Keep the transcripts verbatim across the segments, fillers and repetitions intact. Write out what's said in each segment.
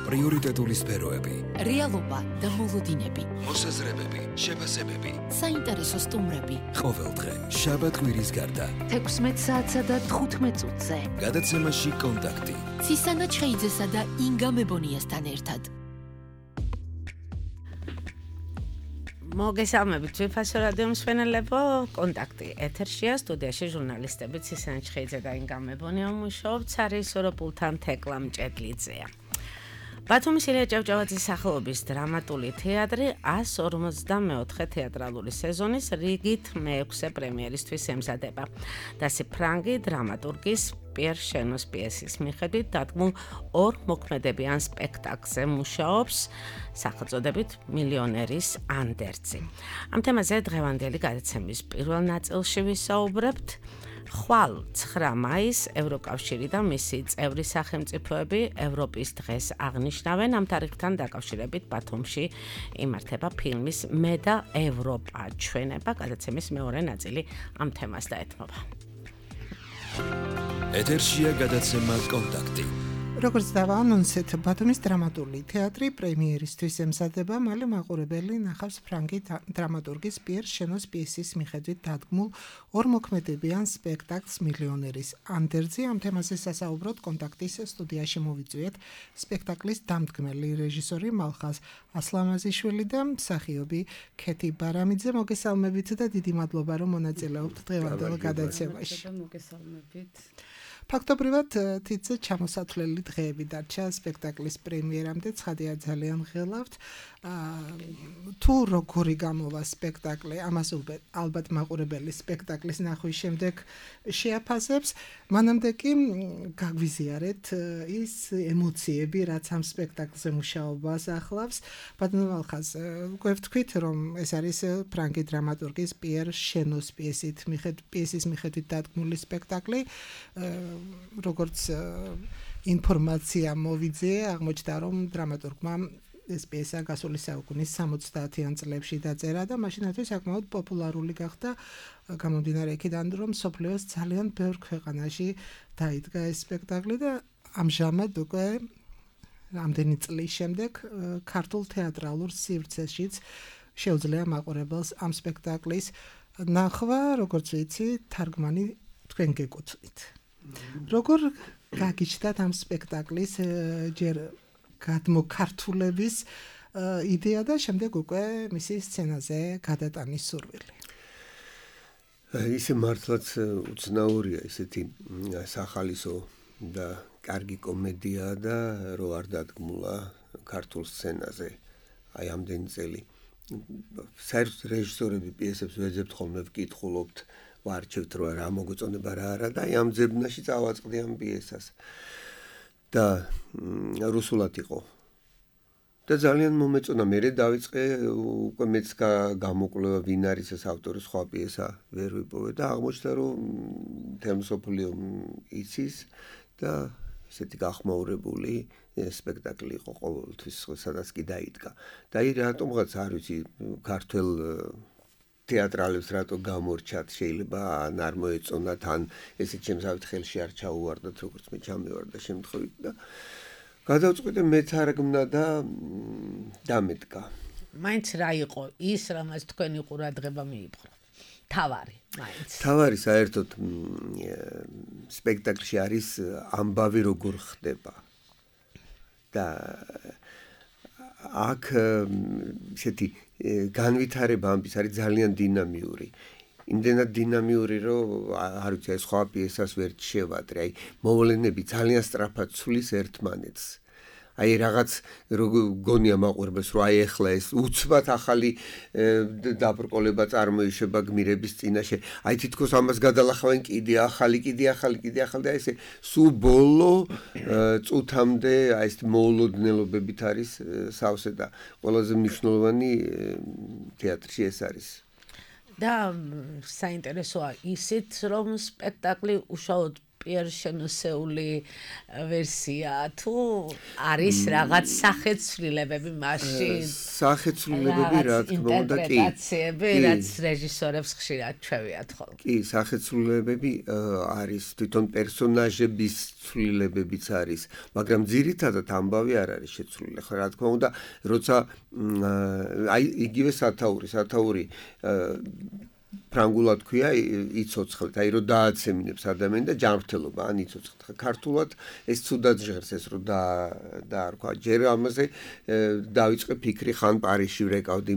პრიორიტეტული სფეროები, რეალობა და მოლოდინები, მოსაზრებები, შეფასებები, საინტერესო სტუმრები. ყოველდღე შაბათ კვირის გარდა თექვსმეტ საათსა და თხუთმეტ წუთზე გადაცემაში კონტაქტი ცისანა ჩხეიძესა და ინგა მებონიასთან ერთად. მოგესალმებით ვიფასო რადიო მსმენელებო, კონტაქტი ეთერშია, სტუდიაში ჟურნალისტები ცისანა ჩხეიძე და ინგა მებონია მუშაობთ, არის ოროპულთან თეკლა მჭედლიძეა. ბათუმის ილია ჭავჭავაძის სახელობის დრამატული თეატრი ას ორმოცდამეოთხე თეატრალური სეზონის რიგით მეექვსე პრემიერისთვის ემზადება. დასი ფრანგი დრამატურგის პიერ შენოს პიესის მიხედვით დადგმულ ორ მოქმედებიან სპექტაკლზე მუშაობს სახელწოდებით მილიონერის ანდერძი. ამ თემაზე დღევანდელი გადაცემის პირველ ნაწილში ვისაუბრებთ. ხვალ ცხრა მაისს ევროკავშირი და მისი წევრი სახელმწიფოები ევროპის დღეს აღნიშნავენ. ამ თარიღთან დაკავშირებით ბათუმში იმართება ფილმის მე და ევროპა ჩვენება. გადაცემის მეორე ნაწილი ამ თემას დაეთმობა. ეთერშია გადაცემა კონტაქტი. როგორც დავაანონსეთ, ბათუმის დრამატული თეატრი პრემიერისთვის ემზადება, მალე მაყურებელი ნახავს ფრანგი დრამატურგის პიერ შენოს პიესის მიხედვით დადგმულ ორ მოქმედებიან სპექტაკლს მილიონერის ანდერძი. ამ თემაზე სასაუბროდ კონტაქტის სტუდიაში მოვიწვიეთ სპექტაკლის დამდგმელი რეჟისორი მალხაზ ასლამაზიშვილი და მსახიობი ქეთი ბარამიძე. მოგესალმებით და დიდი მადლობა რომ მონაწილეობთ დღევანდელ გადაცემაში. მოგესალმებით. ფაქტობრივად თითზე ჩამოსათვლელი დღეები დარჩა სპექტაკლის პრემიერამდე, ცხადია ძალიან ღელავთ. თუ როგორი გამოვა სპექტაკლი, ამას ალბათ მაყურებელი სპექტაკლის ნახვის შემდეგ შეაფასებს, მანამდე კი გაგვიზიარეთ ის ემოციები, რაც ამ სპექტაკლზე მუშაობას ახლავს. ბატონო მალხაზ, გვევთქვით, რომ ეს არის ფრანგი დრამატურგის პიერ შენოს პიესით პიესის მიხედვით დადგმული სპექტაკლი. როგორც ინფორმაცია მოვიძიე, აღმოჩნდა, რომ დრამატურგმა ეს პიესა გასული საუკუნის სამოცდაათიან წლებში დაწერა და მაშინათვე საკმაოდ პოპულარული გახდა, გამომდინარე იქიდან, რომ მსოფლიოს ძალიან ბევრ ქვეყანაში დაიდგა ეს სპექტაკლი და ამჟამად უკვე რამდენი წლის შემდეგ ქართულ თეატრალურ სივრცეშიც შეუძლია მაყურებელს ამ სპექტაკლის ნახვა, როგორც ვიცი, თარგმანი თქვენ გეკუთვნით. როგორ გაგიჩნდათ ამ სპექტაკლის ჯერ გადმოქართულების იდეა და შემდეგ უკვე მისი სცენაზე გადატანის სურვილი? ისე მართლაც უცნაურია ესეთი სახალისო და კარგი კომედია და რო არ დადგმულა ქართულ სცენაზე აი ამდენი წელი. საერთოდ რეჟისორები პიესებს ვეძებთ ხოლმე ვკითხულობთ, ვარჩევთ რა რა მოგწონება რა არა და აი ამ ძებნაში წავაწყდი ამ პიესას და რუსულად იყო და ძალიან მომეწონა. მე დავიწყე უკვე მეც გამოკვლევა ვინ არის ეს ავტორი, სხვა პიესა ვერ ვიპოვე და აღმოჩნდა რომ თემსოფლიო იცის და ესეთი გახმაურებული სპექტაკლი იყო ყოველთვის, სადაც კი დაიდგა. და აი რატომღაც არ ვიცი ქართულ თეატრალებს რატო გამორჩათ, შეიძლება ან არ მოეწონათ, ან ესე ჩემსავით ხელში არ ჩაუვარდათ, როგორც მე ჩამევარდა შემთხვევით და გადავწყვიტე მეთარგმნა და დამედგა. მაინც რა იყო ის, რამაც თქვენი ყურადღება მიიპყრო? თავარი, მაინც. თავარი საერთოდ სპექტაკლში არის ამბავი როგორ ხდება. და აქ ესეთი განვითარება ამბის არის ძალიან დინამიური. იმდენად დინამიური, რომ არ ვიცი, ეს სხვა პიესას ვერ შევადრე. აი, მოვლენები ძალიან სწრაფად ცვლის ერთმანეთს. აი რაღაც გონია მაყურებელს, რომ აი ეხლა ეს უცბად ახალი დაბრკოლება წარმოიშება გმირების წინაშე. აი თითქოს ამას გადალახავენ კიდე ახალი, კიდე ახალი, კიდე ახალი და ესე სულ ბოლო წუთამდე აი ეს მოულოდნელობებით არის სავსე და ყველაზე მნიშვნელოვანი თეატრში ეს არის. და საინტერესოა ისიც, რომ სპექტაკლი უშუალოდ პიერ შენოსეული ვერსია თუ არის რაღაც სახეცვლილებები მაშინ სახეცვლილებები რა თქმა უნდა კი ინტერპრეტაციები რაც რეჟისორებს ხშირად ჩვევიათ ხოლმე კი სახეცვლილებები არის თვითონ პერსონაჟების ცვლილებებიც არის მაგრამ ძირითადად ამბავი არ არის შეცვლილი ხო რა თქმა უნდა როცა აი იგივე სათაური სათაური ფრანგულად ქვია იცოცხლეთ, აი რომ დააცემინებს ადამიანი და ჯანმრთელობა, ან იცოცხლეთ. ქართულად ეს ცუდად ჟღერს ეს რომ და დაარქვა. ჯერ ამაზე დავიწყე ფიქრი ხან პარიზში ვრეკავდი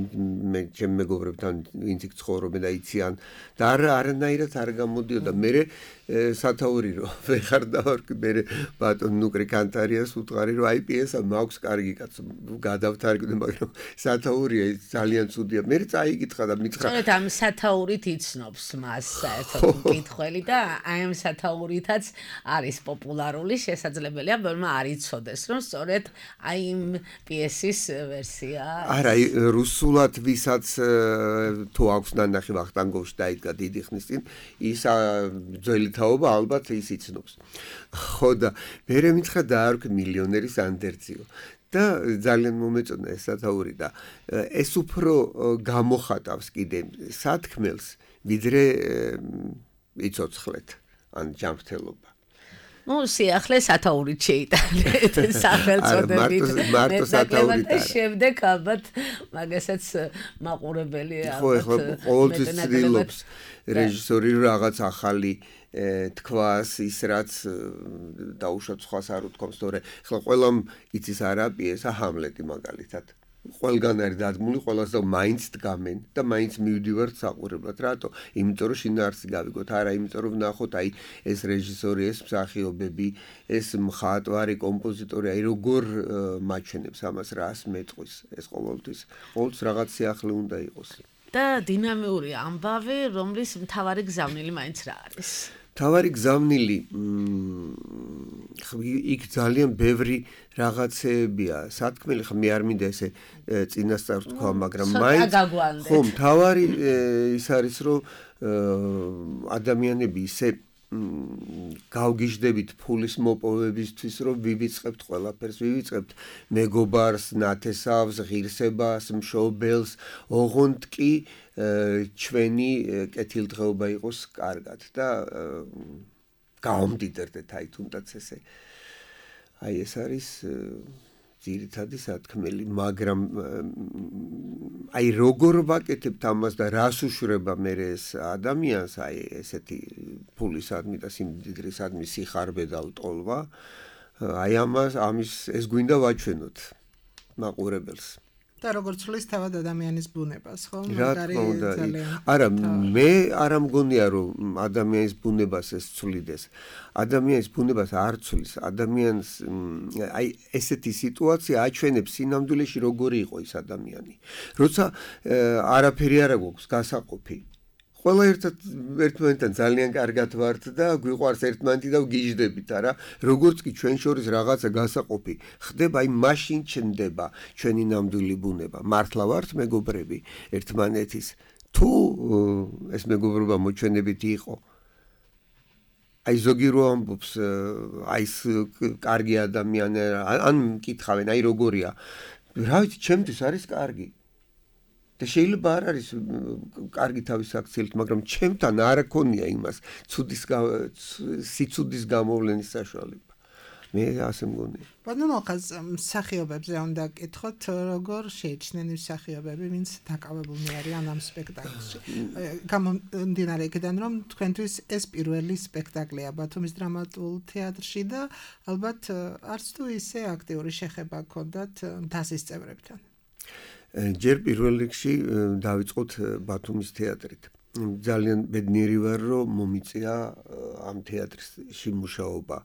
მე ჩემ მეგობრებთან ვინც იქ ცხოვრობენ და იციან და არანაირად არ გამოდიოდა. მე სათაური რომ ვეხარ დავარქვი მე ბატონ ნუკრი კანტარიას უთყარი რომ აი პიესა მაქვს კარგი კაცო გადავთარგმნე მაგრამ სათაურია ძალიან ცუდია. მე წაიკითხა და მითხრა სწორედ ამ სათაურით იცნობს მას საერთოდ მკითხველი და აი ამ სათაურითაც არის პოპულარული შესაძლებელია ბევრმა არ იცოდეს რომ სწორედ აი იმ პიესის ვერსია არა რუსულად ვისაც თუ აქვს ნანახი ვახტანგოვში დაიდგა დიდი ხნის წინ ის ძველი თაობა ალბათ ის იცნობს. ხო და მე მითხრა დაარქვი მილიონერის ანდერძიო. და ძალიან მომეწონა ეს სათაური და ეს უფრო გამოხატავს კიდე სათქმელს ვიდრე იცოცხლეთ ან ჯანმრთელობა. ნუ სიახლე სათაურით შეიტანეთ სახელწოდებით. მარტო სათაურით არა. შემდეგ ალბათ მაგასაც მაყურებელი ალბათ. ხო ხო ყოველთვის ცდილობს რეჟისორი რაღაც ახალი თქვას ის რაც დაუშვათ სხვას არ უთქვამს თორე ხლა ყველამ იცის არა პიესა ჰამლეტი მაგალითად ყველგან არის დადგმული ყველას და მაინც დგამენ და მაინც მივდივართ საყურებლად რატო იმიტომ რომ შინაარსი გავიგოთ არა იმიტომ რომ ვნახოთ აი ეს რეჟისორი ეს მსახიობები ეს მხატვარი კომპოზიტორი აი როგორ მაჩვენებს ამას რას მეტყვის ეს ყოველთვის ყოველთვის რაღაც სიახლე უნდა იყოს და დინამიური ამბავი რომლის მთავარი გზავნილი მაინც რა არის თავარი გზავნილი იქ ძალიან ბევრი რაღაცებია სათქმელი ხა მე არ მინდა ესე წინასწარ თქვა მაგრამ მაინც ხო თავარი ის არის რომ ადამიანები ისე გავგიჟდებით ფულის მოპოვებისთვის რომ ვივიწყებთ ყველაფერს ვივიწყებთ მეგობარს ნათესავს ღირსებას მშობელს ოღონდ კი ჩვენი კეთილდღეობა იყოს კარგად და გავამდიდრდეთ აი თუნდაც ესე აი ეს არის ძირითადი სათქმელი მაგრამ აი როგორ ვაკეთებთ ამას და რას უშვება მე ეს ადამიანს აი ესეთი ფულისადმი და სიმდიდრისადმი სიხარბე და ლტოლვა აი ამას ამის ეს გვინდა ვაჩვენოთ მაყურებელს და როგორც ცვლის თავად ადამიანის ბუნებას, ხო? მაგარი ძალიან. არა, მე არ ამგონია რომ ადამიანის ბუნებას ეს ცვლიდეს. ადამიანის ბუნებას არ ცვლის. ადამიანს აი ესეთი სიტუაცია აჩვენებს სინამდვილეში როგორი იყო ის ადამიანი. როცა არაფერი არ აქვს გასაყოფი. ყველა ერთად ერთმანეთთან ძალიან კარგად ვართ და გვიყვარს ერთმანეთი და ვგიჟდებით, არა? როგორც კი ჩვენ შორის რაღაცა გასაყოფი ხდება, აი მაშინ ჩნდება ჩვენი ნამდვილი ბუნება. მართლა ვართ მეგობრები ერთმანეთის. თუ ეს მეგობრობა მოჩვენებითი იყო. აი ზოგი რო ამბობს, აი ეს კარგი ადამიანი ან მკითხავენ, აი როგორია. რა ვიცი, ჩემთვის არის კარგი. და შეიძლება არ არის კარგი თავის აქციელით, მაგრამ ჩემთან არ აქონია იმას ცუდის სიცუდის გამოვლენის საშუალება. მე ასე მგონია. ბატონო ხაზ მსახიობებზე უნდა გკითხოთ, როგორ შეიჩნენ ის მსახიობები, ვინც დაკავებულნი არიან ამ სპექტაკლში. გამომდინარე იქიდან, რომ თქვენთვის ეს პირველი სპექტაკლია ბათუმის დრამატულ თეატრში და ალბათ არც თუ ისე აქტიური შეხება გქონდათ მთასის წევრებთან. ჯერ პირველ რიგში დავიწყოთ ბათუმის თეატრით. ძალიან ბედნიერი ვარ, რომ მომიწია ამ თეატრში მუშაობა.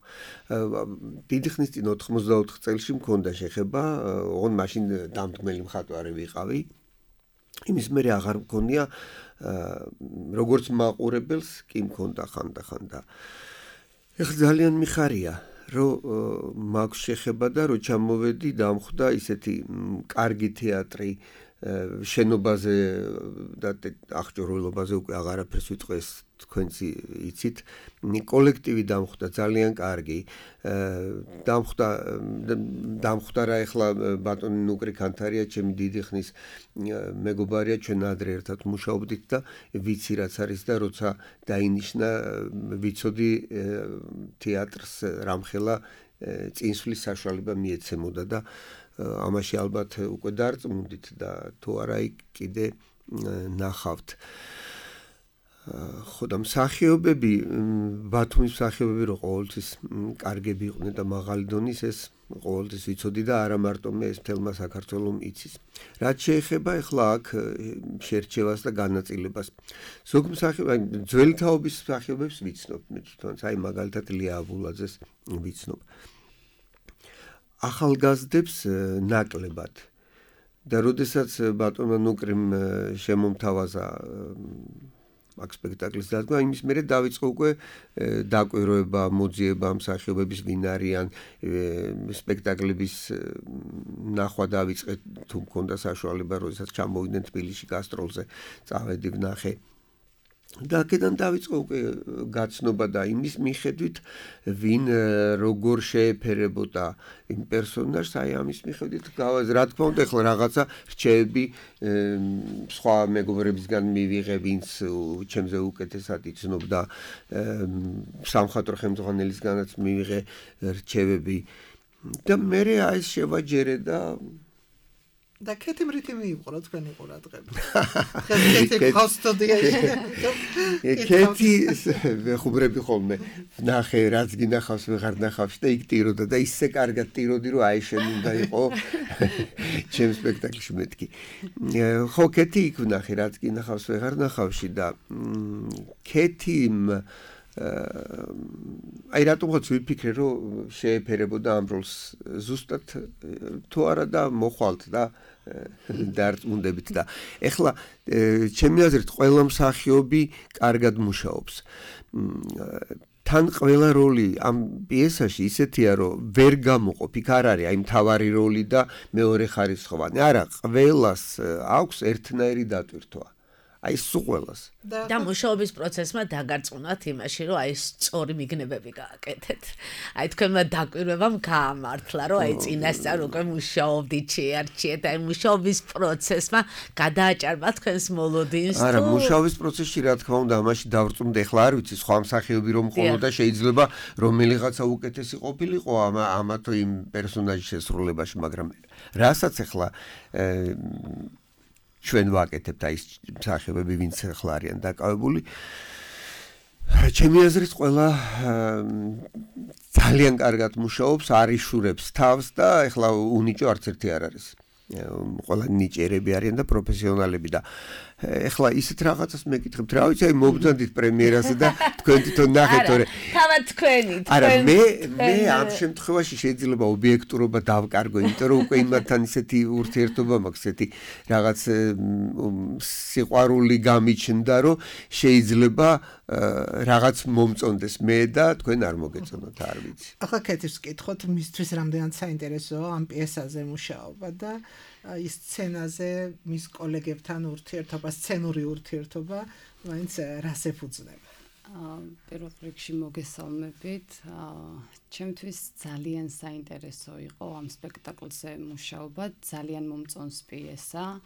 დიდი ხნის წინ ოთხმოცდაოთხ წელში მქონდა შეხება, ოღონდ მაშინ დამდგმელი მხატვარი ვიყავი. იმის მერე აღარ მქონია როგორც მაყურებელს კი მქონდა ხანდახან და ეხლა ძალიან მიხარია. რომ მაქვს შეხება და რომ ჩამოვედი დამხვდა ისეთი კარგი თეატრი შენობაზე და აღჭურვილობაზე უკვე აღარაფერს ვიტყვი, ეს თქვენც იცით. კოლექტივი დამხვდა ძალიან კარგი. დამხვდა დამხვდა რა ეხლა ბატონი ნუკრი ქანთარია, ჩემი დიდი ხნის მეგობარია, ჩვენ ადრე ერთად მუშაობდით და ვიცი რაც არის და როცა დაინიშნა ვიცოდი თეატრს რამხელა წინსვლის საშუალება მიეცემოდა და ამაში ალბათ უკვე დარწმუნდით და თუ არა კიდე ნახავთ. ხო და მსახიობები, ბათუმის მსახიობები რო ყოველთვის კარგები იყვნენ და მაღალი დონის, ეს ყოველთვის ვიცოდი და არა მარტო მე, ეს მთელმა საქართველომ იცის. რაც შეეხება ახლა აქ შერჩევას და განაწილებას. ზოგ მსახიობი, ძველი თაობის მსახიობებს ვიცნობ, მე თვითონაც, აი მაგალითად ლია აბულაძეს ვიცნობ. ახალგაზრდებს ნაკლებად. და როდესაც ბატონმა ნუკრიმ შემომთავაზა აქ სპექტაკლის დადგმა, იმის მერე დავიწყო უკვე დაკვირვება, მოძიება მსახიობების ვინ არიან, სპექტაკლების ნახვა დავიწყე, თუ მქონდა საშუალება, როდესაც ჩამოვიდნენ თბილისში გასტროლზე, წავედი ვნახე. და აქედან დავიწყო უკვე გაცნობა და იმის მიხედვით ვინ როგორ შეეფერებოდა იმ პერსონაჟს, აი ამის მიხედვით რა თქმა უნდა ახლა რაღაცა რჩევები სხვა მეგობრებისგან მივიღე, ვინც ჩემზე უკეთესად იცნობდა, სამხატვრო ხელმძღვანელისგანაც მივიღე რჩევები და მე აი ეს შევაჯერე და და ქეთი მრითი მიიყურა თქვენი ყურადღება. ქეთი ხოსტოდიაში. ქეთი ხუბრები ხოლმე ნახე რაც გინახავს ვეღარ ნახავს და იქ ტიროდა და ისე კარგად ტიროდი რომ აი შენ უნდა იყო ჩემ სპექტაკლში მეთქი. ხო ქეთი იქ ვნახე რაც გინახავს ვეღარ ნახავში და ქეთიმ აი რატომღაც ვიფიქრე რომ შეეფერებოდა ამ როლს ზუსტად თუ არა და მოხვალთ და დარწმუნდებით და ეხლა ჩემი აზრით ყველა მსახიობი კარგად მუშაობს. თან ყველა როლი ამ პიესაში ისეთია რომ ვერ გამოყოფ, იქ არ არის აი მთავარი როლი და მეორე ხარისხოვანი. არა, ყველას აქვს ერთნაირი დატვირთვა. აი სულ ყველას. და მუშაობის პროცესმა დაგარწმუნათ იმაში, რომ აი სწორი მიგნებები გააკეთეთ. აი თქვენმა დაკვირვებამ გაამართლა, რომ აი წინასწარ უკვე მუშაობდით, შეარჩიეთ, აი მუშაობის პროცესმა გადააჭარბა თქვენს მოლოდინს. არა, მუშაობის პროცესში რა თქმა უნდა, ამაში დავწუნდე, ახლა არ ვიცი, სხვა მსახიობი რომ ხოლოდა შეიძლება რომელიღაცა უკეთესი ყოფილიყო ამა თუ იმ პერსონაჟის შესრულებაში, მაგრამ რასაც ახლა ჩვენ ვაკეთებთ აი ეს მსახიობები, ვინც ახლა არიან დაკავებული. ჩემი აზრით ყველა ძალიან კარგად მუშაობს, არიშურებს თავს და ახლა უნიჭო არც ერთი არ არის. ყველა ნიჭერები არიან და პროფესიონალები და ეხლა ისეთ რაღაცას მეკითხებთ, რა ვიცი, აი მობრძანდით პრემიერაზე და თქვენ თვითონ ნახეთ, თორე თავად თქვენი, არა, მე მე ამ შემთხვევაში შეიძლება ობიექტურობა დავკარგო, იმიტომ რომ უკვე იმათთან ისეთი ურთიერთობა მაქვს, ესეთი რაღაც სიყვარული გამიჩნდა, რომ შეიძლება რაღაც მომწონდეს მე და თქვენ არ მოგეწონოთ, არ ვიცი. ახლა ქეთის ვკითხოთ, მისთვის რამდენად საინტერესოა ამ პიესაზე მუშაობა და ის სცენაზე მის კოლეგებთან ურთიერთობა, სცენური ურთიერთობა, მაინც რას ეფუძნება? პირველ რიგში მოგესალმებით. ჩემთვის ძალიან საინტერესო იყო ამ სპექტაკლზე მუშაობა, ძალიან მომწონს პიესა.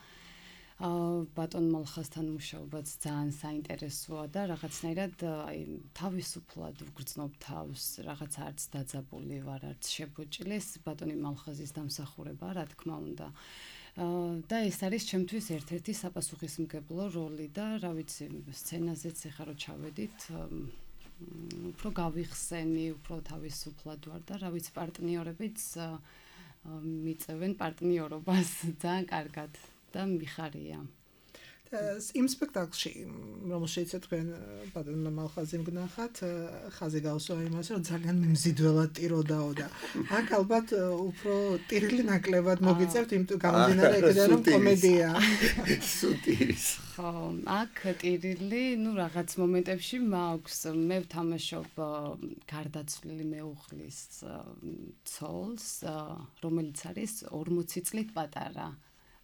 ბატონ მალხასთან მუშაობაც ძალიან საინტერესოა და რაღაცნაირად აი თავისუფლად ვგრძნობ თავს, რაღაც არც დაძაბული ვარ, არც შებოჭილეს ბატონი მალხაზის დამსახურება, რა თქმა უნდა. და ეს არის ჩემთვის ერთ-ერთი საპასუხისმგებლო როლი და რა ვიცი, სცენაზეც ეხლა რო ჩავედით, უფრო გავიხსენი, უფრო თავისუფლად ვარ და რა ვიცი, პარტნიორებიც მიწევენ პარტნიორობას ძალიან კარგად. და მიხარია. იმ სპექტაკლში, რომელშიც თქვენ ბატონმა მალხაზიმ გნახათ, ხაზი გავსვა იმას, რომ ძალიან მიმზიდველად ტიროდაო და აქ ალბათ უფრო ტირილი ნაკლებად მოგიწევთ, იმიტომ გამომდინარე იქიდან რომ კომედია. სუტირის. ხო, აქ ტირილი, ну რაღაც მომენტებში მაქვს, მე ვთამაშობ გარდაცვლილი მეუღლის ცოლს, რომელიც არის ორმოცი წლით პატარა.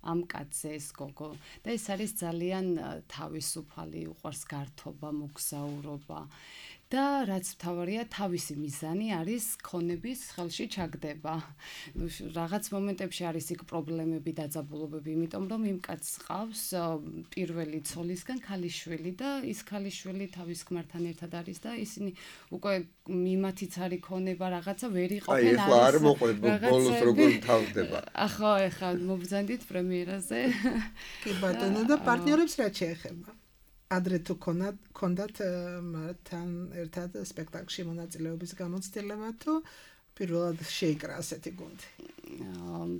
ამ კაცზე ეს გოგო და ეს არის ძალიან თავისუფალი, უყვარს გართობა, მოგზაურობა და რაც მთავარია თავისი მიზანი არის ქონების ხელში ჩაგდება. ნუ რაღაც მომენტებში არის იქ პრობლემები, დაძაბულობები, იმიტომ რომ იმ კაცს ყავს პირველი ცოლისგან ქალიშვილი და ის ქალიშვილი თავის ქმართან ერთად არის და ისინი უკვე მიმათიც არის ქონება რაღაცა ვერ იყოფენ არის. აი, ახლა არ მოყვეთ ბოლოს როგორ თავდება. ახლა ახლა მობრძანდით პრემიერაზე. კი ბატონო და პარტნიორებს რა შეეხება? ადრე თუ ქონდათ ქონდათ მართან ერთად სპექტაკლში მონაწილეობის გამოცდილება თუ პირველად შეიკრა ასეთი გუნდი?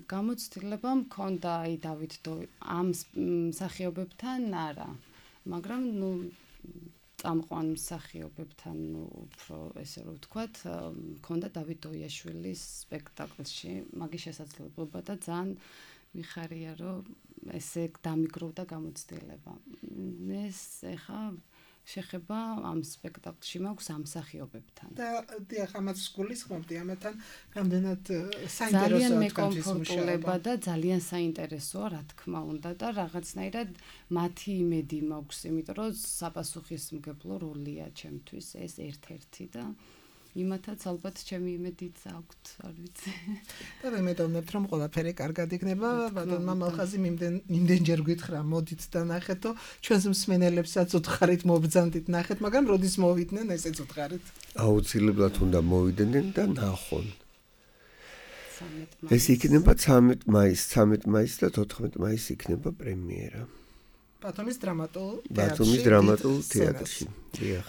გამოცდილება მქონდა აი დავით ამ მსახიობებთან არა, მაგრამ ნუ წამყვან მსახიობებთან უფრო ესე რომ ვთქვათ, მქონდა დავით დოიაშვილის სპექტაკლში მაგის შესაძლებლობა და ძალიან მიხარია რომ ესე დამიგროვდა გამოცდილება. ეს ახლა შეხება ამ სპექტაკლში მაქვს ამ მსახიობებთან. და დიახ, ამაც გულისხმობდი, ამათან რამდენად საინტერესოა თქვენთვის მუშაობა და ძალიან საინტერესოა, რა თქმა უნდა და რაღაცნაირად მათი იმედი მაქვს, იმიტომ რომ საპასუხისმგებლო როლია ჩემთვის ეს ერთ-ერთი და იმათაც ალბათ ჩემი იმედიც აქვთ, არ ვიცი. და მე მედოვნებთ რომ ყველაფერი კარგად იქნება, ბატონმა მალხაზი იმდენჯერ გითხრა, მოდით და ნახეთო, ჩვენს მსმენელებსაც უთხარით მობრძანდით ნახეთ, მაგრამ როდის მოვიდნენ, ესეც უთხარით. აუცილებლად უნდა მოვიდნენ და ნახონ. ეს იქნება ცამეტ მაისს, ცამეტ მაისს და თოთხმეტ მაისს იქნება პრემიერა. ბათუმის დრამატულ თეატრში. ბათუმის დრამატულ თეატრში. დიახ.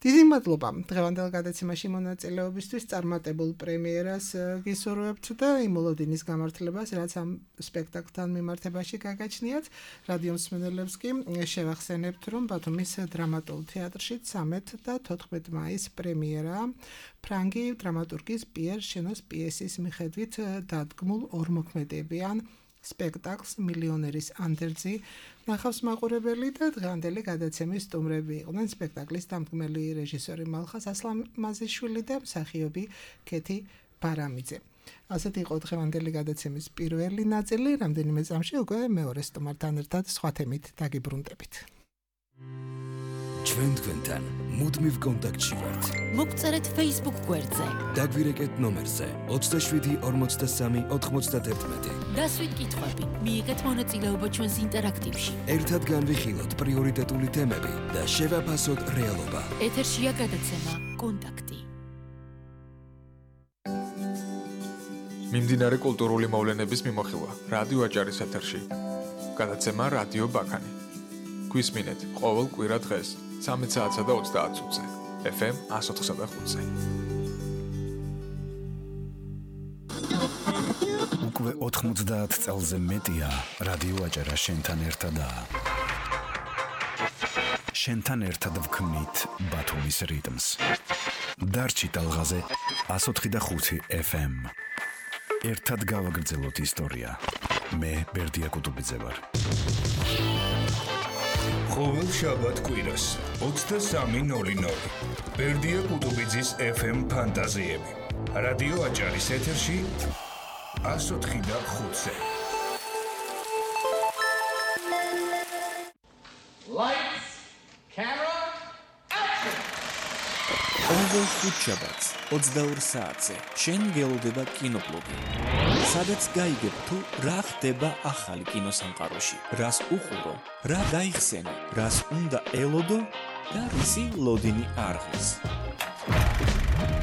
დიდი მადლობა დღევანდელ გადაცემაში მონაწილეობისთვის, წარმატებულ პრემიერას გისურვებთ და იმ მოლოდინის გამართლებას, რაც ამ სპექტაკლთან მიმართებაში გაგაჩნიათ. რადიო მსმენელებს კი შევახსენებთ, რომ ბათუმის დრამატულ თეატრში ცამეტ და თოთხმეტ მაისს პრემიერაა. ფრანგი დრამატურგის პიერ შენოს პიესის მიხედვით დადგმულ ორმოქმედებიან სპექტაკლს მილიონერის ანდერძი ნახავს მაყურებელი და დღევანდელი გადაცემის სტუმრები იყვნენ სპექტაკლის დამდგმელი რეჟისორი მალხაზ ასლამაზიშვილი და მსახიობი ქეთი ბარამიძე. ასეთი იყო დღევანდელი გადაცემის პირველი ნაწილი, რამდენიმე წამში უკვე მეორე სტუმართან ერთად სხვა თემით დაგიბრუნდებით. ჩვენ თქვენთან მუდმივ კონტაქტში ვართ. მოგწერეთ Facebook გვერდზე. დაგვირეკეთ ნომერზე ოცდაშვიდი ორმოცდასამი ოთხმოცდაათერთმეტი. დასვით კითხვები, მიიღეთ მონაწილეობა ჩვენს ინტერაქტივში. ერთად განვიხილოთ პრიორიტეტული თემები და შევაფასოთ რეალობა. ეთერშია გადაცემა კონტაქტი. მიმდინარე კულტურული მოვლენების მიმოხილვა რადიო აჭარის ეთერში. გადაცემა რადიო ბაქანი. გვისმინეთ ყოველ კვირა დღეს ცამეტ საათსა და ოცდაათ წუთზე ეფ ემ εκατს ოთხსა და ხუთზე. უკვე ოთხმოცდაათ წელზე მეტია რადიო აჭარა შენთან ერთადაა. შენთან ერთად ვქმნით ბათუმის რიტმს. დარჩი ტალღაზე εκατს ოთხი და ხუთი ეფ ემ. ერთად გავაგრძელოთ ისტორია. მე ბერდია კუტუბიძე ვარ. ყოველ შაბათ კვირას ოცდასამი ნული ნული ბერდია კუტუბიძის ეფ ემ ფანტაზიები. რადიო აჭარის ეთერში εκατს ოთხი და ხუთზე. Lights, camera, action! ყოველ ხუთშაბათს ოცდაორ საათზე შენ გელოდება კინობლოგი. სადაც გაიგებ თუ რა ხდება ახალი კინოსამყაროში, რას უყურო, რა გაიხსენე, რას უნდა ელოდო და რისი ლოდინი არღეს.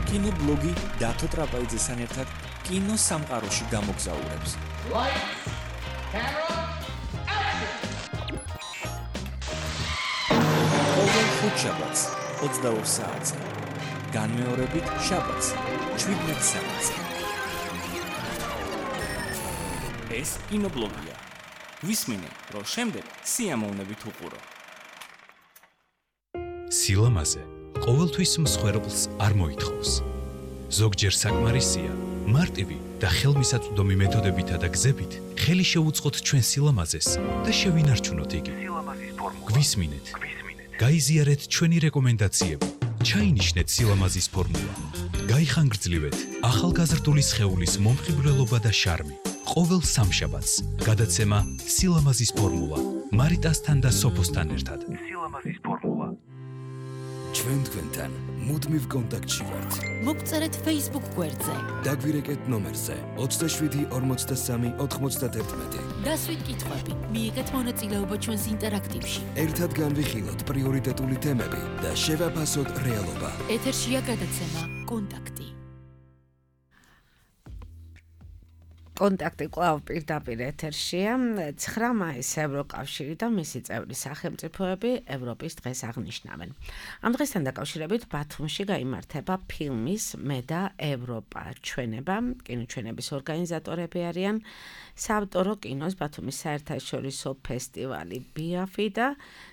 კინობლოგი დათო ტრაპაიძესთან ერთად კინოსამყაროში გამოგზაურებს. Lights, camera, action! ყოველ ხუთშაბათს ოცდაორ საათზე. განმეორებით შაბათს შვიდმეტ საათზე. ეს კინობლოგია. ვისმინე, რომ შემდეგ სიამოვნებით უყურო. სილამაზე ყოველთვის მსხვერპლს არ მოითხოვს. ზოგჯერ საკმარისია მარტივი და ხელმისაწვდომი მეთოდებითა და გზებით ხელი შეუწყოთ ჩვენ სილამაზეს და შევინარჩუნოთ იგი. გვისმინეთ. გაიზიარეთ ჩვენი რეკომენდაციები. ჩაინიშნეთ სილამაზის ფორმულა. გაიხანგრძლივეთ ახალგაზრდული სხეულის მომხიბვლელობა და შარმი. ყოველ სამშაბათს გადაცემა სილამაზის ფორმულა მარიტასთან და სოფოსთან ერთად. სილამაზის ფორმულა. ჩვენ თქვენთან მუდმივ კონტაქტში ვართ. მოგწერეთ Facebook გვერდზე. დაგვირეკეთ ნომერზე ოცდაშვიდი ორმოცდასამი ოთხმოცდაათი. დასვით კითხვები, მიიღეთ მონაწილეობა ჩვენს ინტერაქტივში. ერთად განვიხილოთ პრიორიტეტული თემები და შევაფასოთ რეალობა. ეთერშია გადაცემა კონტაქტი. კონტაქტი კვლავ პირდაპირ ეთერშია. ცხრა მაისი ევროკავშირი და მისი წევრი სახელმწიფოები ევროპის დღეს აღნიშნავენ. ამ დღესთან დაკავშირებით ბათუმში გაიმართება ფილმის მე და ევროპა ჩვენება. კინოჩვენების ორგანიზატორები არიან საავტორო კინოს ბათუმის საერთაშორისო ფესტივალი ბიაფი და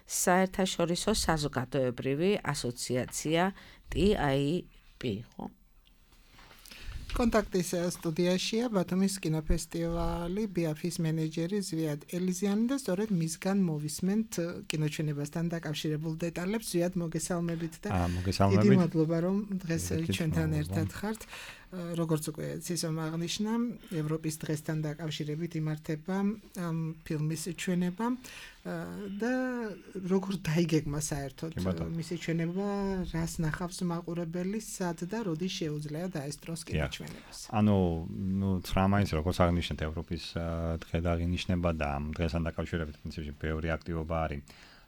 საერთაშორისო საზოგადოებრივი ასოციაცია ტი აი პი. კონტაქტის სტუდიაშია ბათუმის კინოფესტივალი ბიაფის მენეჯერი ზვიად ელიზიანი და სწორედ მისგან მოვისმენთ კინოჩვენებასთან დაკავშირებულ დეტალებს. ზვიად, მოგესალმებით და დიდი მადლობა რომ დღეს ჩვენთან ერთად ხართ. როგორც უკვე ცისომ აღნიშნა, ევროპის დღესთან დაკავშირებით იმართება ამ ფილმის ჩვენება და როგორ დაიგეგმა საერთოდ მისი ჩვენება, რას ნახავს მაყურებელი, სად და როდის შეუძლია დაესწროს კინოჩვენებას. ანუ, ნუ ცხრა მაისს როგორც აღნიშნეთ, ევროპის დღე დაღინიშნება და ამ დღესთან დაკავშირებით პრინციპში ბევრი აქტივობა არის.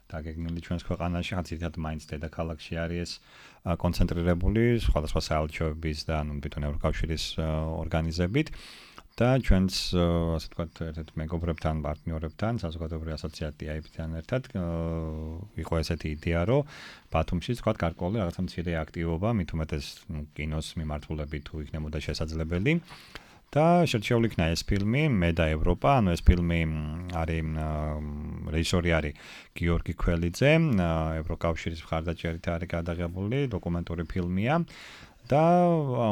დაგეგმილი ჩვენს ქვეყანაში, ხან ძირითადად მაინც დედაქალაქში არის ეს კონცენტრირებული სხვადასხვა საელჩოების და ანუ თვითონ ევროკავშირის ორგანიზებით და ჩვენს ასე ვთქვათ ერთ-ერთ მეგობრებთან, პარტნიორებთან, საზოგადოებრივი ასოციაცია აიფ-თან ერთად იყო ესეთი იდეა, რომ ბათუმში ვთქვათ გარკვეული რაღაცა მცირე აქტივობა, მით უმეტეს კინოს მიმართულებით თუ იქნებოდა შესაძლებელი. და შერჩეული იქნა ეს ფილმი მე და ევროპა, ანუ ეს ფილმი არის რეჟისორი არის გიორგი ქველიძე, ევროკავშირის მხარდაჭერით არის გადაღებული დოკუმენტური ფილმია და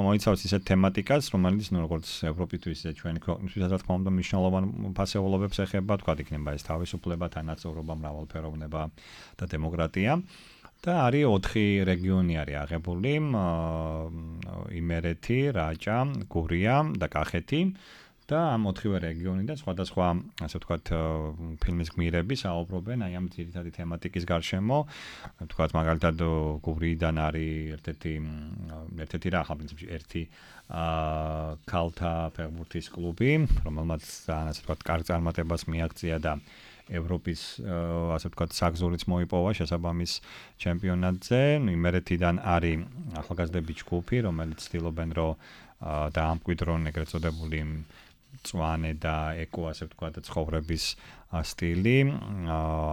მოიცავს ისეთ თემატიკას, რომელიც ნუ როგორც ევროპისთვის ისე ჩვენი ქვეყნისთვის რა თქმა უნდა მნიშვნელოვან ფასეულობებს ეხება, თქვა იქნება ეს თავისუფლება, თანაცხოვრობა, მრავალფეროვნება და დემოკრატია. და არის ოთხი რეგიონი არის აღებული, იმერეთი, რაჭა, გურია და კახეთი და ამ ოთხივე რეგიონიდან სხვადასხვა, ასე ვთქვათ, ფილმის გმირები საუბრობენ აი ამ ძირითადი თემატიკის გარშემო. ვთქვათ, მაგალითად, გურიიდან არის ერთ-ერთი ერთ-ერთი რა, ახლა პრინციპში ერთი ქალთა ფეხბურთის კლუბი, რომელმაც ასე ვთქვათ, კარგ წარმატებას მიაღწია და ევროპის ასე ვთქვათ საგზურიც მოიპოვა შესაბამის ჩემპიონატზე. იმერეთიდან არის ახალგაზრდები ჯგუფი, რომელიც ცდილობენ რომ დაამკვიდრონ ეგრეთ წოდებული მწვანე და ეკო ასე ვთქვათ ცხოვრების სტილი.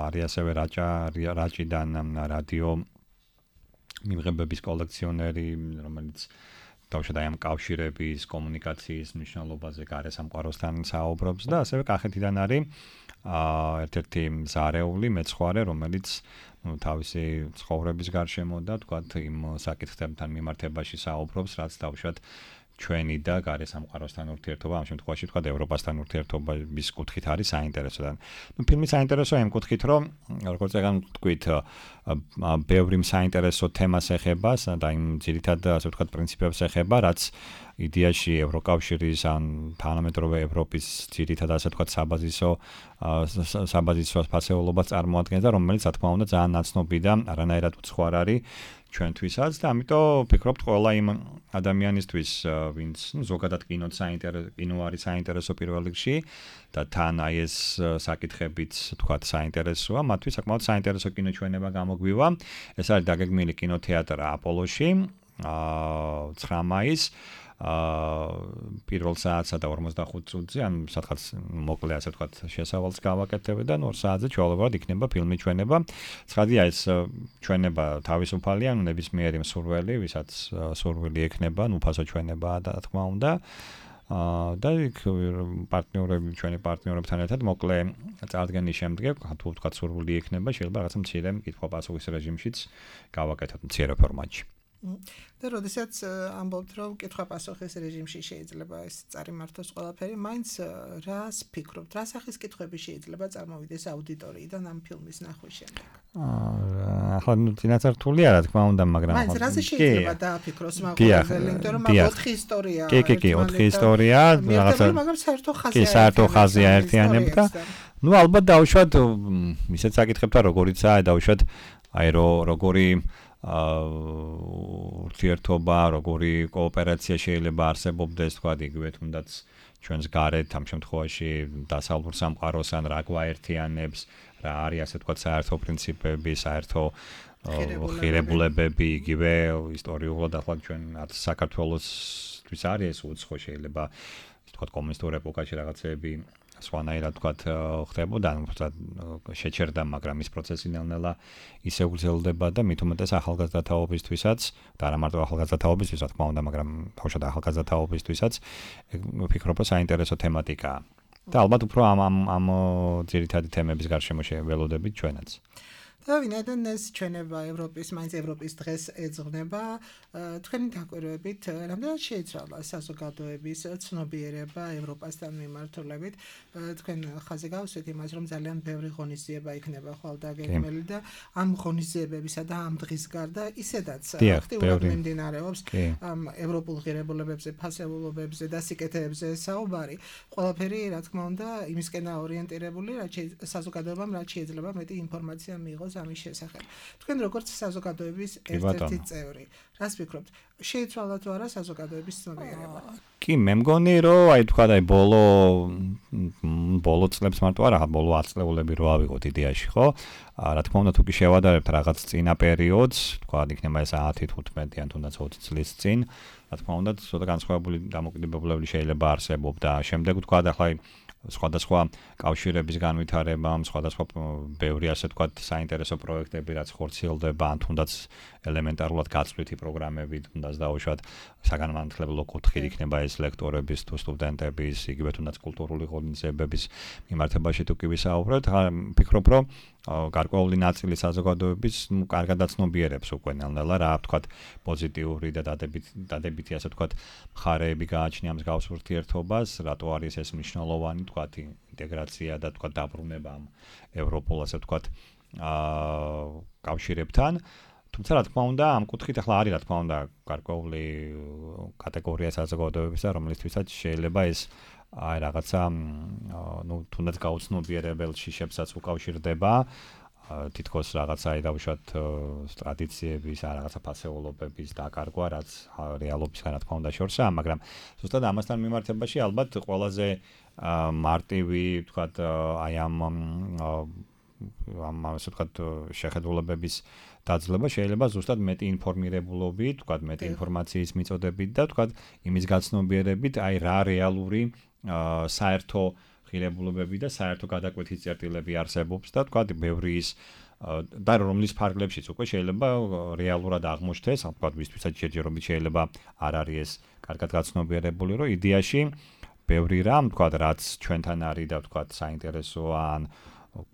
არის ასევე რაჭა რაჭიდან რადიო მიმღებების კოლექციონერი, რომელიც თავშად აი ამ კავშირების კომუნიკაციის მნიშვნელობაზე გარესამყაროსთან საუბრობს და ასევე კახეთიდან არის ერთ-ერთი მზარეული მეცხვარე, რომელიც ნუ თავისი ცხოვრების გარშემო და თქვათ იმ საკითხებთან მიმართებაში საუბრობს, რაც თავშად ჩვენი და გარესამყაროსთან ურთიერთობა, ამ შემთხვევაში თქვათ ევროპასთან ურთიერთობის კუთხით არის საინტერესო. ნუ ფილმი საინტერესოა იმ კუთხით, რომ როგორც ეგან თქვით, ბევრი საინტერესო თემას ეხება და იმ ძირითად ასე ვთქვათ პრინციპებს ეხება, რაც იდეაში ევროკავშირის ან თანამედროვე ევროპის ძირითად ასე ვთქვათ საბაზისო საბაზისო ფასეულობას წარმოადგენს და რომელიც რა თქმა უნდა ძალიან ნაცნობი და არანაირად უცხოარ არის ჩვენთვისაც და ამიტომ ვფიქრობთ ყველა იმ ადამიანისთვის, ვინც ნუ ზოგადად კინოც საინტერესო კინო არის საინტერესო პირველ რიგში და თან აი ეს საკითხებიც თქვათ საინტერესოა, მათთვის საკმაოდ საინტერესო კინოჩვენება გამოგვივა. ეს არის დაგეგმილი კინოთეატრ აპოლოში, ცხრა მაისს პირველ საათსა და ორმოცდახუთ წუთზე, ან სადღაც მოკლე ასე ვთქვათ შესავალს გავაკეთებთ და ორ საათზე ჩვეულებრივად იქნება ფილმი ჩვენება. ცხადია ეს ჩვენება თავისუფალია, ანუ ნებისმიერი მსურველი, ვისაც სურვილი ექნება, ნუ ფასო ჩვენებაა და რა თქმა უნდა. და იქ პარტნიორები, ჩვენი პარტნიორებთან ერთად მოკლე წარდგენის შემდეგ, თუ ვთქვათ სურვილი ექნება, შეიძლება რაღაცა მცირე კითხვა-პასუხის რეჟიმშიც გავაკეთოთ მცირე ფორმატში. და როდესაც ამბობთ, რომ კითხვა-პასუხის რეჟიმში შეიძლება ეს წარიმართოს ყველაფერი, მაინც რას ფიქრობთ, რა სახის კითხვები შეიძლება წარმოვიდეს აუდიტორიიდან ამ ფილმის ნახვის შემდეგ? ახლა ნუ წინასწართულია რა თქმა უნდა, მაგრამ მაინც რაზე შეიძლება დააფიქროს მაყურებელი, იმიტომ რომ ოთხი ისტორია. კი, კი, კი, ოთხი ისტორია, რაღაცა. მაგრამ საერთო ხაზია. კი, საერთო ხაზია ერთიანები და ნუ ალბათ დავუშვათ, ისეთ საკითხებთან როგორიცაა, დავუშვათ აი როგორი ურთიერთობა, როგორი კოოპერაცია შეიძლება არსებობდეს, თქვა იგივე თუნდაც ჩვენს გარეთ ამ შემთხვევაში დასავლურ სამყაროს ან რა გვაერთიანებს, რა არის ასე თქვა საერთო პრინციპები, საერთო ხირებულებები, იგივე ისტორიულად ახლა ჩვენ არც საქართველოსთვის არის ეს უცხო შეიძლება თქვა კომუნისტურ ეპოქაში რაღაცები სხვანაირად თქვა ხდებოდა, შეჩერდა, მაგრამ ის პროცესი ნელ-ნელა ისე გრძელდება და მით უმეტეს ახალგაზრდა თაობისთვისაც და არა მარტო ახალგაზრდა თაობისთვის, რა თქმა უნდა, მაგრამ თავშად ახალგაზრდა თაობისთვისაც ვფიქრობ, რომ საინტერესო თემატიკაა. და ალბათ უფრო ამ ამ ამ ძირითადი თემების გარშემო შეველოდებით ჩვენაც. და ვინაიდან ეს ჩვენება ევროპის, მაინც ევროპის დღეს ეძღვნება, თქვენი დაკვირვებით, რამდენად შეიცვალა საზოგადოების ცნობიერება ევროპასთან მიმართულებით, თქვენ ხაზი გავუსვით იმას, რომ ძალიან ბევრი ღონისძიება იქნება ხვალდაგეგმელი და ამ ღონისძიებებისა და ამ დღის გარდა ისედაც აქტიურად მიმდინარეობს ამ ევროპულ ღირებულებებზე, ფასეულობებზე და სიკეთეებზე საუბარი. ყველაფერი, რა თქმა უნდა, იმისკენაა ორიენტირებული, რაც საზოგადოებამ რაც შეიძლება მეტი ინფორმაცია მიიღოს ამის შესახებ. თქვენ როგორც საზოგადოების ერთ-ერთი წევრი, რას ფიქრობთ? შეიცვალა თუ არა საზოგადოების ცნობიერება? კი, მე მგონი, რომ აი თქვა აი ბოლო ბოლო წლებს მარტო არა, ბოლო ათი წლეულები რო ავიღოთ იდეაში, ხო? რა თქმა უნდა, თუ კი შევადარებთ რაღაც წინა პერიოდს, თქვა იქნება ეს ათი თუთხმეტი ან თუნდაც ოცი წლის წინ, რა თქმა უნდა, ცოტა განსხვავებული დამოკიდებულება შეიძლება არსებობდა. შემდეგ თქვა ახლა სხვადასხვა კავშირების განვითარებამ, სხვადასხვა ბევრი ასე ვთქვათ საინტერესო პროექტები, რაც ხორციელდება, ან თუნდაც ელემენტარულად გაწვრითი პროგრამები, თუნდაც დაუშვათ საგანმანათლებლო კუთხით იქნება ეს ლექტორების თუ სტუდენტების, იგივე თუნდაც კულტურული ღონისძიებების მიმართებაში თუ კი ვისაუბროთ, ფიქრობ, რომ გარკვეული ნაწილი საზოგადოების კარგად აცნობიერებს უკვე ნელ-ნელა რა ვთქვათ პოზიტიური და დადებითი დადებითი ასე ვთქვათ მხარეები გააჩნია ამ მსგავს ურთიერთობას, რატო არის ეს მნიშვნელოვანი ვთქვათ ინტეგრაცია და ვთქვათ დაბრუნება ამ ევროპულ ასე ვთქვათ კავშირებთან. თუმცა რა თქმა უნდა ამ კუთხით ახლა არის რა თქმა უნდა გარკვეული კატეგორია საზოგადოებისა, რომლისთვისაც შეიძლება ეს აი რაღაცა ნუ თუნდაც გაუცნობიერებელ შიშებსაც უკავშირდება, თითქოს რაღაცა აი დავუშვათ ტრადიციების, ან რაღაცა ფასეულობების დაკარგვა, რაც რეალობისგან რა თქმა უნდა შორსაა, მაგრამ ზუსტად ამასთან მიმართებაში ალბათ ყველაზე მარტივი ვთქვათ აი ამ ამ ასე ვთქვათ შეხედულებების დაძლევა შეიძლება ზუსტად მეტი ინფორმირებულობით, ვთქვათ მეტი ინფორმაციის მიწოდებით და ვთქვათ იმის გაცნობიერებით, აი რა რეალური საერთო ღირებულებები და საერთო გადაკვეთის წერტილები არსებობს და ვთქვათ ბევრი ის და რომლის ფარგლებშიც უკვე შეიძლება რეალურად აღმოჩნდეს, ვთქვათ ვისთვისაც შეჯერობით შეიძლება არ არის ეს კარგად გაცნობიერებული, რომ იდეაში ბევრი რამ, ვთქვათ, რაც ჩვენთან არის და ვთქვათ საინტერესოა ან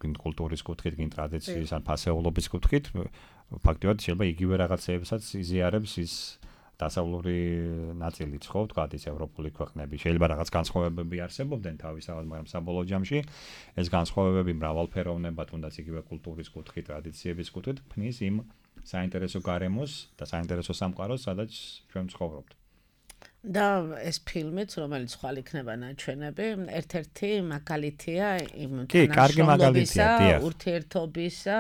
კულტურის კუთხით, კინ ტრადიციის ან ფასეულობის კუთხით, ფაქტობრივად შეიძლება იგივე რაღაცებსაც იზიარებს ის დასავლური ნაწილიც, ხო, ვთქვათ, ის ევროპული ქვეყნები. შეიძლება რაღაც განსხვავებები არსებობდნენ თავისთავად, მაგრამ საბოლოო ჯამში ეს განსხვავებები მრავალფეროვნება, თუნდაც იგივე კულტურის კუთხით, ტრადიციების კუთხით ქმნის იმ საინტერესო გარემოს და საინტერესო სამყაროს, სადაც ჩვენ ვცხოვრობთ. და ეს ფილმიც, რომელიც ხვალ იქნება ნაჩვენები, ერთ-ერთი მაგალითია იმ თანამშრომლობისა, ურთიერთობისა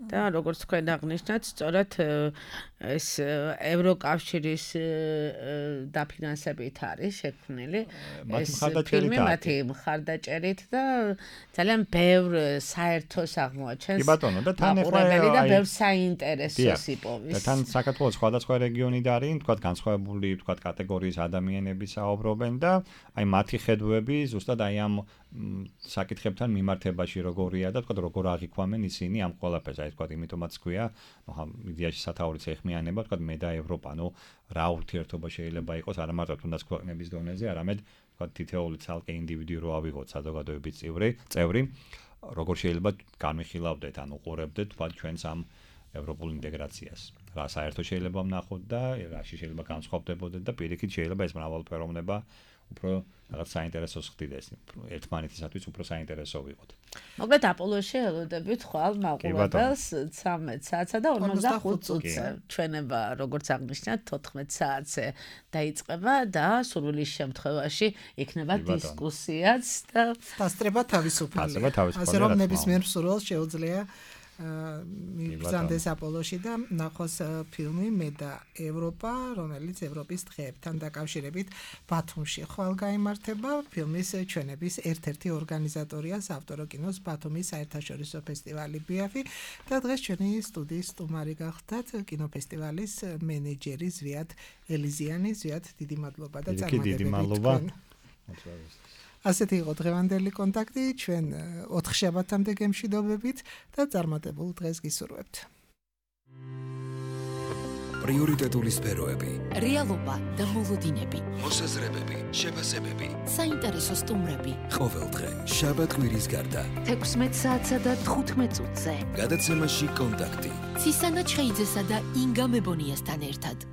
და როგორც თქვენ აღნიშნეთ, სწორედ ეს ევროკავშირის დაფინანსებით არის შექმნილი ეს ფილმი მათი მხარდაჭერით და ძალიან ბევრ საერთოს აღმოაჩენს. კი ბატონო, და თან ეხლა და ბევრ საინტერესოს იპოვის. და თან საქართველოს სხვადასხვა რეგიონიდან არის, თქვათ, განსხვავებული, თქვათ, კატეგორიის ადამიანები საუბრობენ და აი მათი ხედვები ზუსტად აი ამ საკითხებთან მიმართებაში როგორია და თქვათ როგორ აღიქვამენ ისინი ამ ყველაფერს, აი თქვათ იმიტომაც ქვია, ნუ იდეაში სათაურიც ეხმიანება, თქვათ მე და ევროპა, ნუ რა ურთიერთობა შეიძლება იყოს არა მარტო თუნდაც ქვეყნების დონეზე, არამედ თქვათ თითოეული ცალკე ინდივიდი რო ავიღოთ საზოგადოების წევრი, წევრი, როგორ შეიძლება განვიხილავდეთ ან უყურებდეთ თქვათ ჩვენს ამ ევროპულ ინტეგრაციას. რა საერთოდ შეიძლება ვნახოთ და რაში შეიძლება განსხვავდებოდეთ და პირიქით შეიძლება ეს მრავალფეროვნება უფრო რაღაც საინტერესოს ხდიდეს, ერთმანეთისათვის უფრო საინტერესო ვიყოთ. მოკლედ აპოლოში ელოდებით ხვალ მაყურებელს ცამეტ საათსა და ორმოცდახუთ წუთზე. ჩვენება როგორც აღნიშნეთ თოთხმეტ საათზე დაიწყება და სურვილის შემთხვევაში იქნება დისკუსიაც და დასწრება თავისუფალი. ასე რომ ნებისმიერ მსურველს შეუძლია მიბრძანდეს აპოლოში და ნახოს ფილმი მე და ევროპა, რომელიც ევროპის დღეებთან დაკავშირებით ბათუმში ხვალ გაიმართება. ფილმის ჩვენების ერთ-ერთი ორგანიზატორია საავტორო კინოს ბათუმის საერთაშორისო ფესტივალი ბიაფი და დღეს ჩვენი სტუდიის სტუმარი გახდათ კინოფესტივალის მენეჯერი ზვიად ელიზიანი. ზვიად, დიდი მადლობა და წარმატებები. ასეთი იყო დღევანდელი კონტაქტი, ჩვენ ოთხ შაბათამდე გემშვიდობებით და წარმატებულ დღეს გისურვებთ. პრიორიტეტული სფეროები, რეალობა და მოლოდინები, მოსაზრებები, შეფასებები, საინტერესო სტუმრები. ყოველდღე შაბათ-კვირის გარდა თექვსმეტ საათსა და თხუთმეტ წუთზე გადაცემაში კონტაქტი ცისანა ჩხეიძესა და ინგა მებონიასთან ერთად.